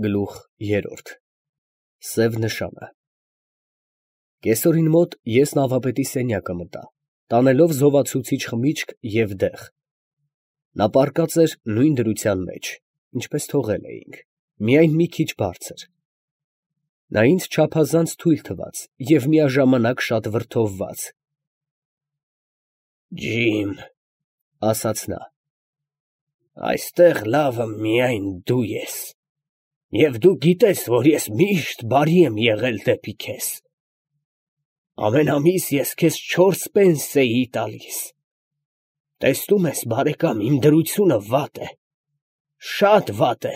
Գլուխ 3 Սև նշանը Կեսօրին մոտ ես նավապետի սենյակը մտա, տանելով զովացուցիչ խմիչք և դեղ. նա պառկած էր նույն դրության մեջ, ինչպես թողել էինք, միայն մի քիչ բարձր. նա ինձ չափազանց թույլ թվաց և միաժամանակ շատ վրդովված. «Ջիմ, ֊ ասաց նա, ֊ այստեղ լավը միայն դու ես, և դու գիտես, որ ես միշտ բարի եմ եղել դեպի քեզ. ամեն ամիս ես քեզ 4 պենսեի տալիս. տեսնում ես, բարեկամ, իմ դրությունը վատ է, շատ վատ է,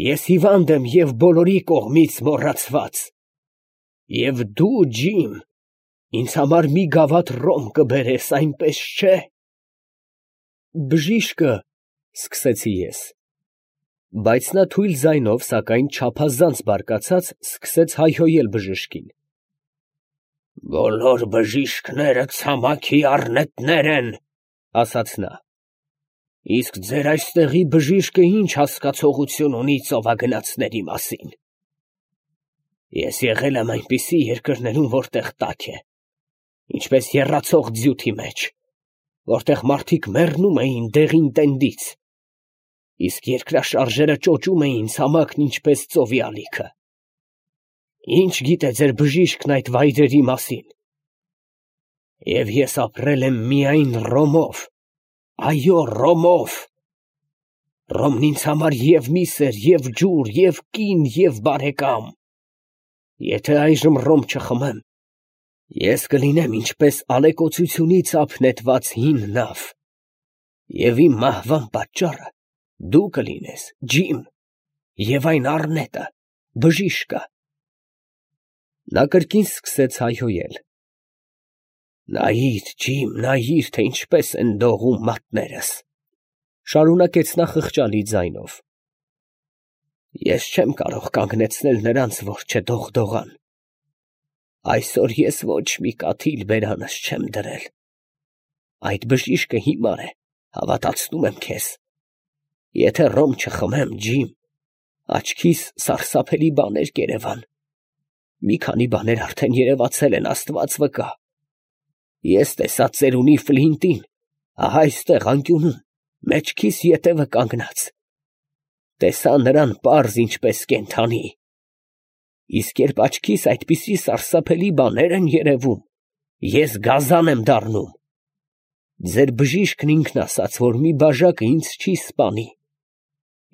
ես հիվանդ եմ և բոլորի կողմից մոռացված, և դու, Ջիմ, ինձ համար մի գավաթ ռոմ կբերես, այնպես չէ՞»։ «Բժիշկը, ֊ սկսեցի ես, բայց նա թույլ ձայնով, սակայն չափազանց բարկացած, սկսեց հայհոյել բժշկին. «Բոլոր բժիշկները ցամաքի առնետներ են, ֊ ասաց նա, ֊ իսկ ձեր այստեղի բժիշկը ինչ հասկացողություն ունի ծովագնացների մասին։ Ես եղել եմ այնպիսի երկրներում, որտեղ տաք է, ինչպես եռացող ձյութի մեջ, որտեղ մարդիկ մեռնում էին դեղին տենդից, իսկ երկրաշարժերը ճոճում էին ցամաքն ինչպես ծովի ալիքը։ Ինչ գիտե ձեր բժիշկն այդ վայրերի մասին։ Եվ ես ապրել եմ միայն ռոմով, այո, ռոմով։ Ռոմն ինձ համար և միս էր, և ջուր, և կին, և բարեկամ։ Եթե այժմ ռոմ չխմեմ, ես կլինեմ ինչպես ալեկոծությունից ափ նետված հին նավ, և իմ մահվան պատճառը դու կլինես, Ջիմ, և այն առնետը, բժիշկը»։ Նա կրկին սկսեց հայհոյել. «Նայիր, Ջիմ, նայիր, թե ինչպես են դողում մատներս, ֊ շարունակեց նա խղճալի ձայնով, ֊ ես չեմ կարող կանգնեցնել նրանց, որ չդողդողան։ Այսօր ես ոչ մի կաթիլ բերանս չեմ դրել։ Այդ բժիշկը հիմար է, հավատացնում եմ քեզ։ Եթե ռոմ չխմեմ, Ջիմ, աչքիս սարսափելի բաներ կերևան։ Մի քանի բաներ արդեն երևացել են, Աստված վկա։ Ես տեսա ծերունի Ֆլինտին, ահա այստեղ անկյունում, մեջքիս ետևը կանգնած. տեսա նրան պարզ ինչպես կենդանի։ Իսկ երբ աչքիս այդպիսի սարսափելի բաներ են երևում, ես գազան եմ դառնում։ Ձեր բժիշկն ինքն ասաց, որ մի բաժակը ինձ չի սպանի։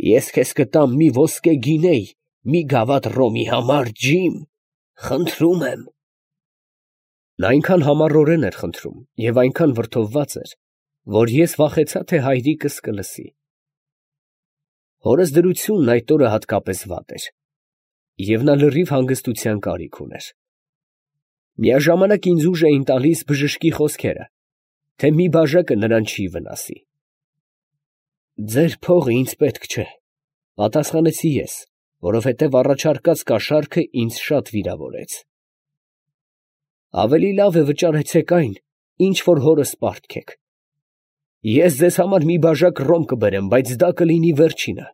Ես քեզ կտամ մի ոսկե գինեյ մի գավաթ ռոմի համար, Ջիմ, խնդրում եմ»։ Նա այնքան համառորեն էր խնդրում և այնքան վրդովված էր, որ ես վախեցա, թե հայրիկս կլսի։ Հորս դրությունն այդ օրը հատկապես վատ էր, և նա լրիվ հանգստության կարիք ուներ։ Միաժամանակ ինձ ուժ էին տալիս բժշկի խոսքերը, թե մի բաժակը նրան չի վնասի։ «Ձեր փողը ինձ պետք չէ, ֊ պատասխանեցի ես, որովհետև առաջարկած կաշառքը ինձ շատ վիրավորեց։ Ավելի լավ է վճարեցեք այն, ինչ որ հորս պարտքեք։ Ես ձեզ համար մի բաժակ ռոմ կբերեմ, բայց դա կլինի վերջինը»։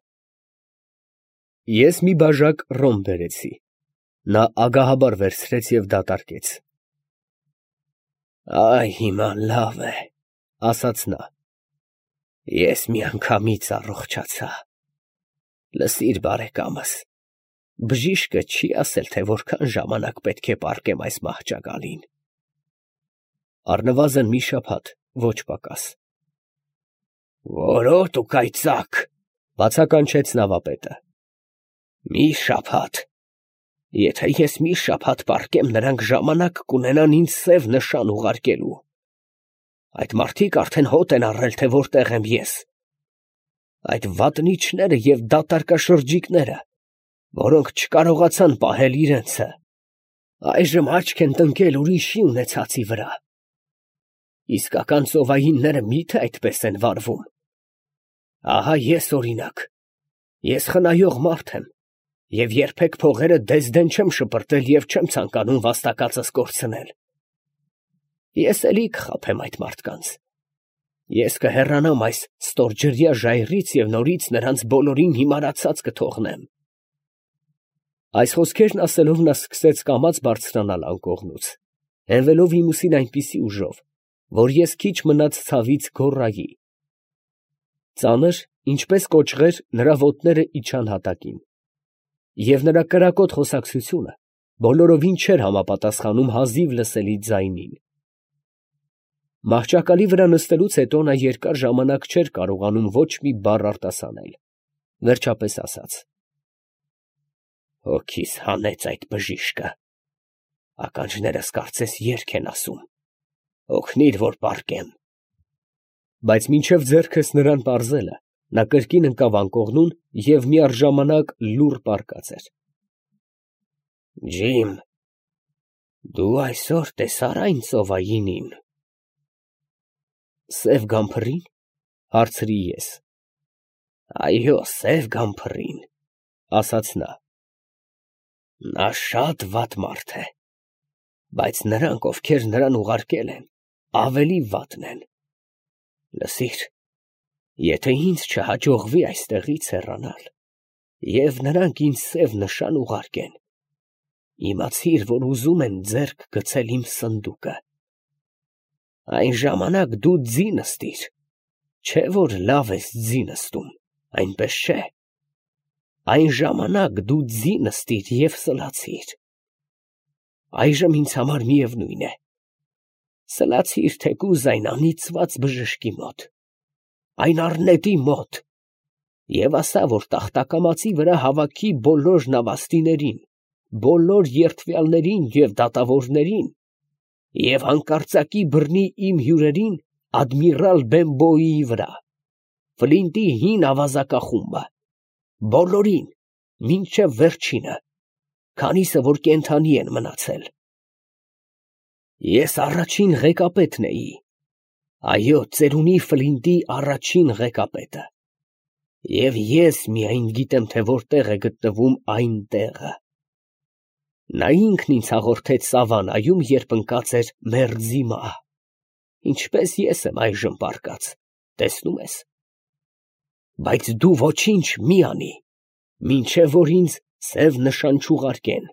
Ես մի բաժակ ռոմ բերեցի։ Նա ագահաբար վերցրեց և դատարկեց։ «Այ հիմա լավ է, ֊ ասաց նա, ֊ ես միանգամից առողջացա։ Լսիր, բարեկամս, բժիշկը չի ասել, թե որքան ժամանակ պետք է պառկեմ այս մահճակալին։ Առնվազն մի շաբաթ, ոչ պակաս։ «Որոտ ու կայծակ, ֊ բացականչեց նավապետը, ֊ մի շաբաթ։ Եթե ես մի շաբաթ պառկեմ, նրանք ժամանակ կունենան ինձ սև նշան ուղարկելու։ Այդ մարդիկ արդեն հոտ են առել, թե որտեղ եմ ես։ Այդ վատնիչները և դատարկաշրջիկները, որոնք չկարողացան պահել իրենցը, այժմ աչք են տնկել ուրիշի ունեցածի վրա։ Իսկական ծովայինները մի՞թե այդպես են վարվում։ Ահա ես օրինակ, ես խնայող մարդ եմ, և երբեք փողերը դեսդեն չեմ շպրտել և չեմ ցանկանում վաստակածս կորցնել։ Ես էլի կխաբեմ այդ մարդկանց։ Ես կհեռանամ այս ստորջրյա ժայռից և նորից նրանց բոլորին հիմարացած կթողնեմ։ Այս խոսքերն ասելով նա սկսեց կամաց բարձրանալ անկողնուց, հենվելով իմուսին այնպիսի ուժով, որ ես քիչ մնաց ցավից գոռայի։ Ծանր, ինչպես կոճղեր, նրա ոտները իջան հատակին, և նրա կրակոտ խոսակցությունը բոլորովին չէր համապատասխանում հազիվ լսելի ձայնին։ Մահճակալի վրա նստելուց հետո նա երկար ժամանակ չէր կարողանում ոչ մի բառ արտասանել, վերջապես ասաց. «Հոգիս հանեց այդ բժիշկը, ականջներս կարծես երգ են ասում, օգնիր, որ պառկեմ»։ Բայց մինչև ձեռքս նրան պարզելը, նա կրկին ընկավ անկողնուն և միառժամանակ լուռ պառկած էր։ «Ջիմ, դու այսօր տեսա՞ր այն ծովայինին»։ «Սև գամփռի՞ն» հարցրի ես։ «Այո, սև գամփռին», ասաց նա։ «Նա շատ վատ մարդ է, բայց նրանք, ովքեր նրան ուղարկել են, ավելի վատն են։ Լսիր, եթե ինձ չհաջողվի այստեղից հեռանալ, և նրանք ինձ սև նշան ուղարկեն, իմացիր, որ ուզում են ձեռք գցել իմ սնդուկը։ Այն ժամանակ դու ձի նստիր, չէ՞ որ լավ ես ձի նստում, այնպես չէ։ Այն ժամանակ դու ձի նստիր և սլացիր։ Այժմ ինձ համար միևնույն է, սլացիր թեկուզ այն անիծված բժշկի մոտ, այն առնետի մոտ, և ասա, որ տախտակամածի վրա հավաքի բոլոր նավաստիներին, բոլոր երդվյալներին և դատավորներին, և հանկարծակի բռնի իմ հյուրերին ադմիրալ Բենբոյիի վրա, Ֆլինտի հին ավազակախումբը, բոլորին, մինչև վերջինը, քանիսը որ կենդանի են մնացել։ Ես առաջին ղեկապետն էի, այո, ծերունի Ֆլինտի առաջին ղեկապետը, և ես միայն գիտեմ, թե որտեղ է գտնվում այն տեղը։ Նա ինքն ինձ հաղորդեց սավանայում, երբ ընկած էր մերձի մահ, ինչպես ես եմ այժմ պառկած, տեսնում ես։ Բայց դու ոչինչ մի անի, մինչև որ ինձ սև նշան չուղարկեն,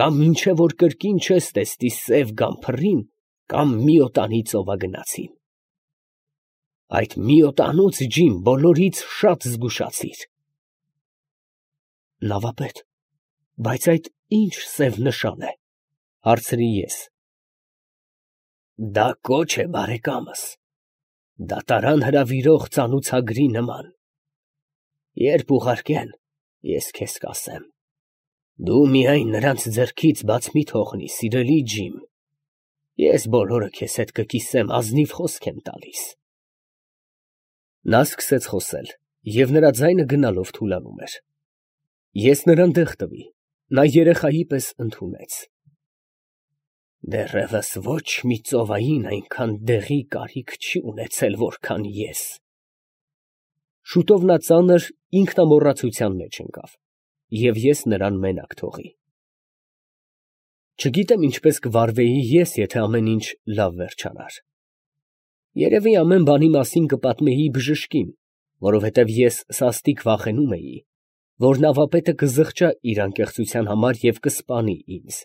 կամ մինչև որ կրկին չես տեսնի սև գամփռին կամ միոտանի ծովագնացին։ Այդ միոտանուց, Ջիմ, բոլորից շատ զգուշացիր։ Նավապետ, բայց այդ ի՞նչ սև նշան է, հարցրի ես։ Դա կոչ է, բարեկամս, դատարան հրավիրող ծանուցագրի նման։ Երբ ուղարկեն, ես քեզ կասեմ։ Դու միայն նրանց ձեռքից բաց մի թողնի, սիրելի Ջիմ, ես բոլորը քեզ հետ կկիսեմ, ազնիվ խոսք եմ տալիս։ Նա սկսեց խոսել, և նրա ձայնը գնալով թուլանում էր։ Ես նրան դեղ տվի, նա երեխայի պես ընդունեց։ Դեռևս ոչ մի ծովային այնքան դեղի կարիք չի ունեցել, որքան ես։ Շուտով նա ծանր ինքնամոռացության մեջ ընկավ, և ես նրան մենակ թողի։ Չգիտեմ ինչպես կվարվեի ես, եթե ամեն ինչ լավ վերջանար։ Երևի ամեն բանի մասին կպատմեի բժշկին, որովհետև ես սաստիկ վախենում էի, որ նավապետը կզղջա իր անկեղծության համար և կսպանի ինձ։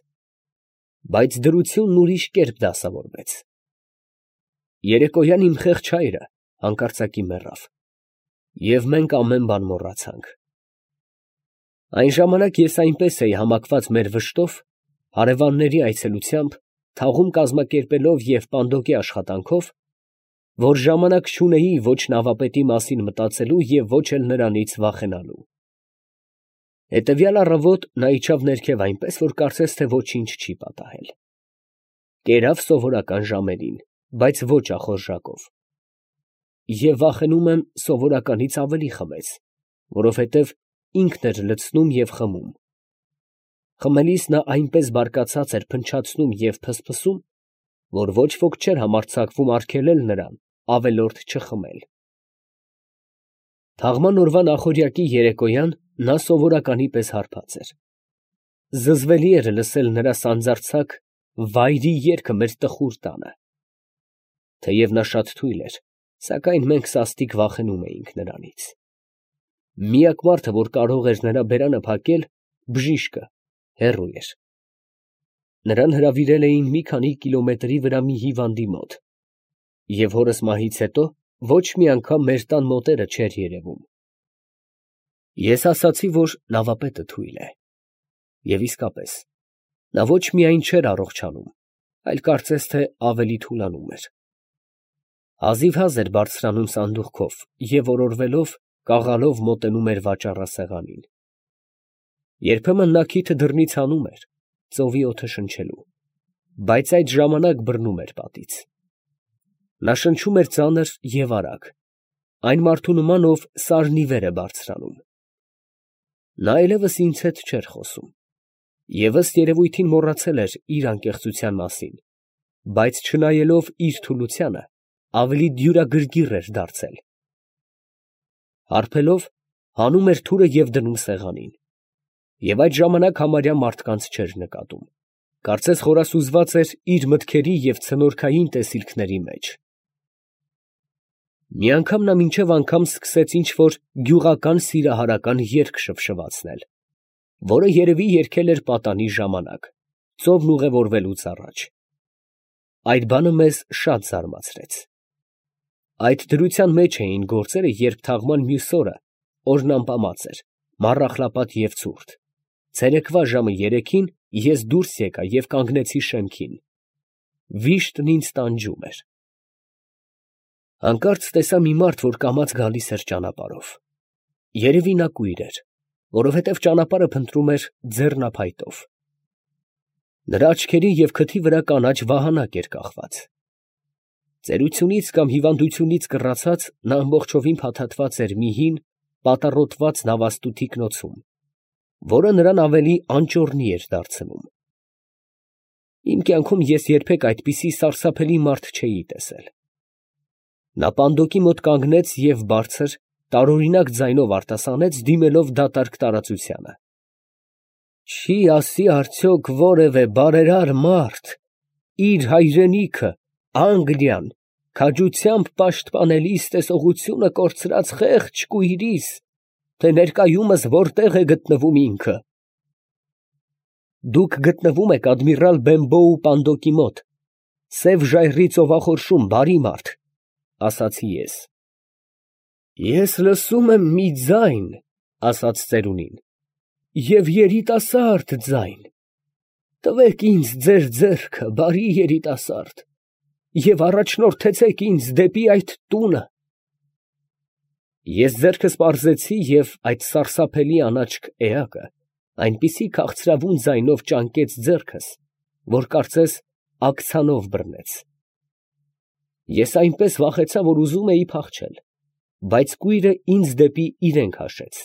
Բայց դրությունն ուրիշ կերպ դասավորվեց։ Երեկոյան իմ խեղճ հայրը հանկարծակի մեռավ, և մենք ամեն բան մոռացանք։ Այն ժամանակ ես այնպես էի համակված մեր վշտով, հարևանների այցելությամբ, թաղում կազմակերպելով և պանդոկի աշխատանքով, որ ժամանակ չունեի ոչ նավապետի մասին մտածելու և ոչ էլ նրանից վախենալու։ Հետևյալ առավոտ նա իջավ ներքև այնպես, որ կարծես թե ոչինչ չի պատահել։ Կերավ սովորական ժամերին, բայց ոչ ախորժակով։ Եվ վախենում եմ սովորականից ավելի խմեց, որովհետև ինքն էր լցնում և խմում։ Խմելիս նա այնպես բարկացած էր փնչացնում և փսփսում, որ ոչ ոք չէր համարձակվում արգելել նրան ավելորդ չխմել։ Թաղման օրվա նախօրյակի երեկոյան նա սովորականի պես հարբած էր։ Զզվելի էր լսել նրա սանձարձակ վայրի երգը մեր տխուր տանը։ Թեև նա շատ թույլ էր, սակայն մենք սաստիկ վախենում էինք նրանից։ Միակ մարդը, որ կարող էր նրա բերանը փակել, բժիշկը հեռու էր։ Նրան հրավիրել էին մի քանի կիլոմետրի վրա մի հիվանդի մոտ, և հորս մահից հետո ոչ մի անգամ մեր տան մոտերը չէր երևում։ Ես ասացի, որ նավապետը թույլ է, և իսկապես, նա ոչ միայն չէր առողջանում, այլ կարծես թե ավելի թուլանում էր։ Հազիվհազ էր բարձրանում սանդուղքով և օրորվելով, կաղալով մոտենում էր վաճառասեղանին։ Երբեմն նա քիթը դռնից հանում էր, ծովի օդը շնչելու, բայց այդ ժամանակ բռնում էր պատից։ Նա շնչում էր ծանր և արագ, այն մարդու նման, ով սարն ի վեր է բարձրանում։ Նա այլևս ինձ հետ չէր խոսում և ըստ երևույթին մոռացել էր իր անկեղծության մասին, բայց չնայելով իր թուլությանը, ավելի դյուրագրգիռ էր դարձել։ Հարբելով, հանում էր թուրը և դնում սեղանին, և այդ ժամանակ համարյա մարդկանց չէր նկատում, կարծես խորասուզված էր իր մտքերի և ցնորքային տեսիլքների մեջ։ Մի անգամ նա մինչև անգամ սկսեց ինչ֊որ գյուղական սիրահարական երգ շվշվացնել, որը երևի երգել էր պատանի ժամանակ, ծովն ուղևորվելուց առաջ։ Այդ բանը մեզ շատ զարմացրեց։ Այդ դրության մեջ էին գործերը, երբ թաղման մյուս օրը, օրն ամպամած էր, մառախլապատ և ցուրտ, ցերեկվա ժամը 3-ին ես դուրս եկա և կանգնեցի շեմքին։ Վիշտն ինձ տանջում էր։ Հանկարծ տեսա մի մարդ, որ կամաց գալիս էր ճանապարհով։ Երևի նա կույր էր, որովհետև ճանապարհը փնտրում էր ձեռնափայտով։ Նրա աչքերի և քթի վրա կանաչ վահանակ էր կախված։ Ծերությունից կամ հիվանդությունից կռացած, նա ամբողջովին փաթաթված էր մի հին, պատառոտված նավաստու թիկնոցում, որը նրան ավելի անճոռնի էր դարձնում։ Իմ կյանքում ես երբեք այդպիսի սարսափելի մարդ չէի տեսել։ Նա պանդոկի մոտ կանգնեց և բարձր, տարօրինակ ձայնով արտասանեց, դիմելով դատարկ տարածությանը. «Չի ասի արդյոք որևէ բարերար մարդ իր հայրենիքը, Անգլիան, քաջությամբ պաշտպանելիս տեսողությունը կորցրած խեղճ կույրիս, թե ներկայումս որտեղ է գտնվում ինքը»։ «Դուք գտնվում եք ադմիրալ Բենբոու պանդոկի մոտ, Սև Ժայռի ծովախորշում, բարի մարդ, ֊ ասացի ես։ ֊ Ես լսում եմ մի ձայն, ֊ ասաց ծերունին, ֊ և երիտասարդ ձայն. տվեք ինձ ձեր ձեռքը, բարի երիտասարդ, և առաջնորդեցեք ինձ դեպի այդ տունը։ Ես ձեռքս պարզեցի, և այդ սարսափելի անաչք էակը այնպիսի քաղցրավուն ձայնով ճանկեց ձեռքս, որ կարծես աքցանով բռնեց։ Ես այնպես վախեցա, որ ուզում էի փախչել, բայց կույրը ինձ դեպի իրեն քաշեց։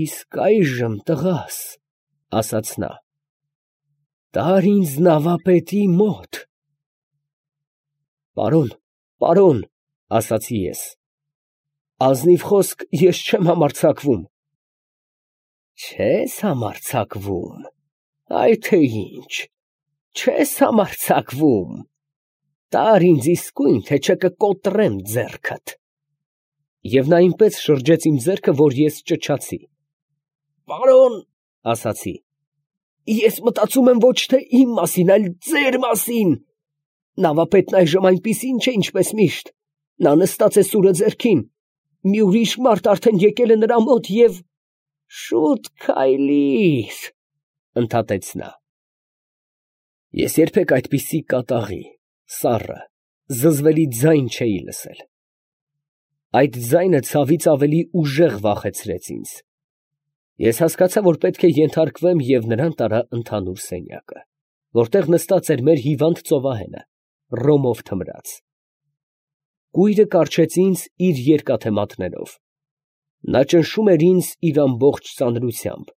«Իսկ այժմ, տղաս, ֊ ասաց նա, ֊ տար ինձ նավապետի մոտ»։ «Պարոն, պարոն, ֊ ասացի ես, ֊ ազնիվ խոսք ես չեմ համարձակվում»։ «Չե՞ս համարձակվում, այ թե ինչ, չե՞ս համարձակվում, տար ինձ իսկույն, թե չէ կկոտրեմ ձեռքդ»։ Եվ նա այնպես շրջեց իմ ձեռքը, որ ես ճչացի։ «Պարոն, ֊ ասացի, ֊ ես մտածում եմ ոչ թե իմ մասին, այլ ձեր մասին. նավապետն այժմ այնպիսին չէ, ինչպես միշտ, նա նստած է սուրը ձեռքին, մի ուրիշ մարդ արդեն եկել է նրա մոտ և…»։ «Շուտ քայլիր, ֊ ընդհատեց նա։ Ես երբեք այդպիսի կատաղի, սառը, զզվելի ձայն չէի լսել։ Այդ ձայնը ցավից ավելի ուժեղ վախեցրեց ինձ։ Ես հասկացա, որ պետք է ենթարկվեմ և նրան տարա ընդհանուր սենյակը, որտեղ նստած էր մեր հիվանդ ծովահենը, ռոմով թմրած։ Կույրը կառչեց ինձ իր երկաթե մատներով։ Նա ճնշում էր ինձ իր ամբողջ ծանրությամբ,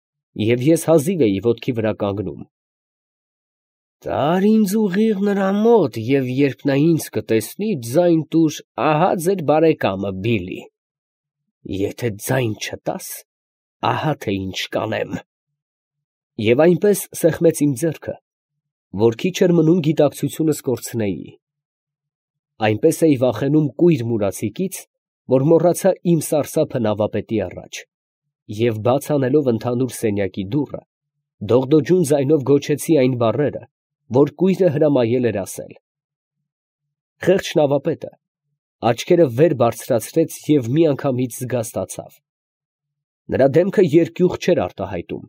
և ես հազիվ էի ոտքի վրա կանգնում։ «Տար ինձ ուղիղ նրա մոտ, և երբ նա ինձ կտեսնի, ձայն տուր, ահա ձեր բարեկամը Բիլի. եթե ձայն չտաս, ահա թե ինչ կանեմ»։ Եվ այնպես սեղմեց իմ ձեռքը, որ քիչ էր մնում գիտակցությունս կորցնեի։ Այնպես էի վախենում կույր մուրացիկից, որ մոռացա իմ սարսափը նավապետի առաջ։ և բաց անելով ընդհանուր սենյակի դուռը, դողդոջուն ձայնով գոչեցի այն բառերը, որ կույրը հրամայել էր ասել։ Խեղճ նավապետը աչքերը վեր բարձրացրեց և միանգամից զգաստացավ։ Նրա դեմքը երկյուղ չէր արտահայտում,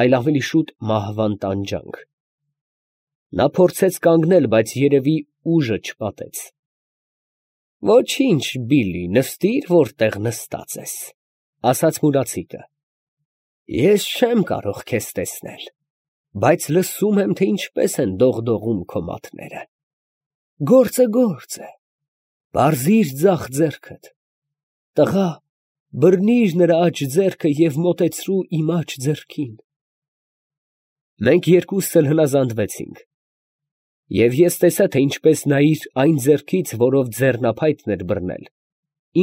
այլ ավելի շուտ մահվան տանջանք։ Նա փորձեց կանգնել, բայց երևի ուժը չպատեց։ «Ոչինչ, Բիլլի, նստիր, որտեղ նստած ես», ֊ ասաց մուրացիկը։ «Ես չեմ կարող քեզ տեսնել, բայց լսում եմ, թե ինչպես են դողդողում քո մատները։ Գործը գործ է, պարզիր ձախ ձեռքդ։ Տղա, բռնիր նրա աջ ձեռքը և մոտեցրու իմ աջ ձեռքին»։ Մենք երկուսս էլ հնազանդվեցինք, և ես տեսա, թե ինչպես նա իր այն ձեռքից, որով ձեռնափայտն էր բռնել,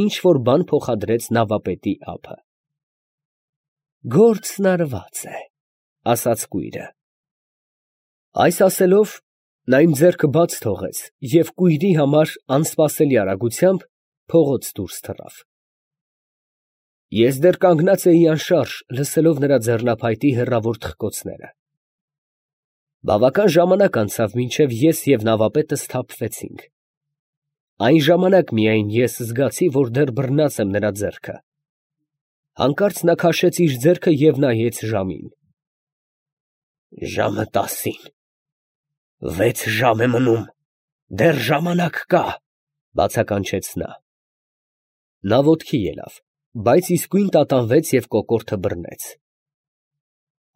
ինչ որ բան փոխադրեց նավապետի ափը։ «Գործն արված է», ֊ ասաց կույրը։ Այս ասելով, նա իմ ձեռքը բաց թողեց և կույրի համար անսպասելի արագությամբ փողոց դուրս թռավ։ Ես դեռ կանգնած էի անշարժ, լսելով նրա ձեռնափայտի հեռավոր թխկոցները։ Բավական ժամանակ անցավ, մինչև ես և նավապետը սթափվեցինք։ Այն ժամանակ միայն ես զգացի, որ դեռ բռնած եմ նրա ձեռքը։ Հանկարծ նա քաշեց իր ձեռքը և նայեց ժամին։ «Ժամը 10-ին, 6 ժամ է մնում, դեռ ժամանակ կա», ֊ բացականչեց նա։ Նա ոտքի ելավ, բայց իսկույն տատանվեց և կոկորդը բռնեց։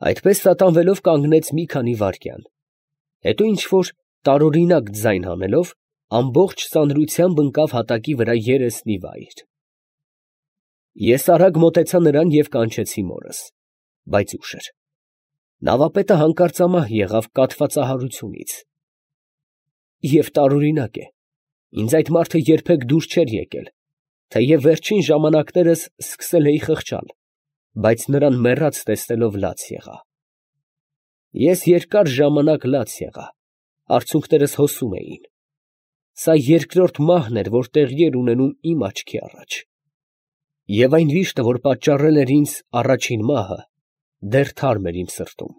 Այդպես տատանվելով կանգնեց մի քանի վայրկյան, հետո ինչ֊որ տարօրինակ ձայն հանելով, ամբողջ ծանրությամբ ընկավ հատակի վրա երեսնի վայր։ Ես արագ մոտեցա նրան և կանչեցի մորս, բայց ուշ էր։ Նավապետը հանկարծամահ եղավ կաթվածահարությունից։ Եվ տարօրինակ է, ինձ այդ մարդը երբեք դուր չէր եկել, թեև վերջին ժամանակներս սկսել էի խղճալ, բայց նրան մեռած տեսնելով լաց եղա։ Ես երկար ժամանակ լաց եղա, արցունքներս հոսում էին։ Սա երկրորդ մահն էր, որ տեղի էր ունենում իմ աչքի առաջ։ Եվ այն վիշտը, որ պատճառել էր ինձ առաջին մահը, դեռ թարմ էր իմ սրտում։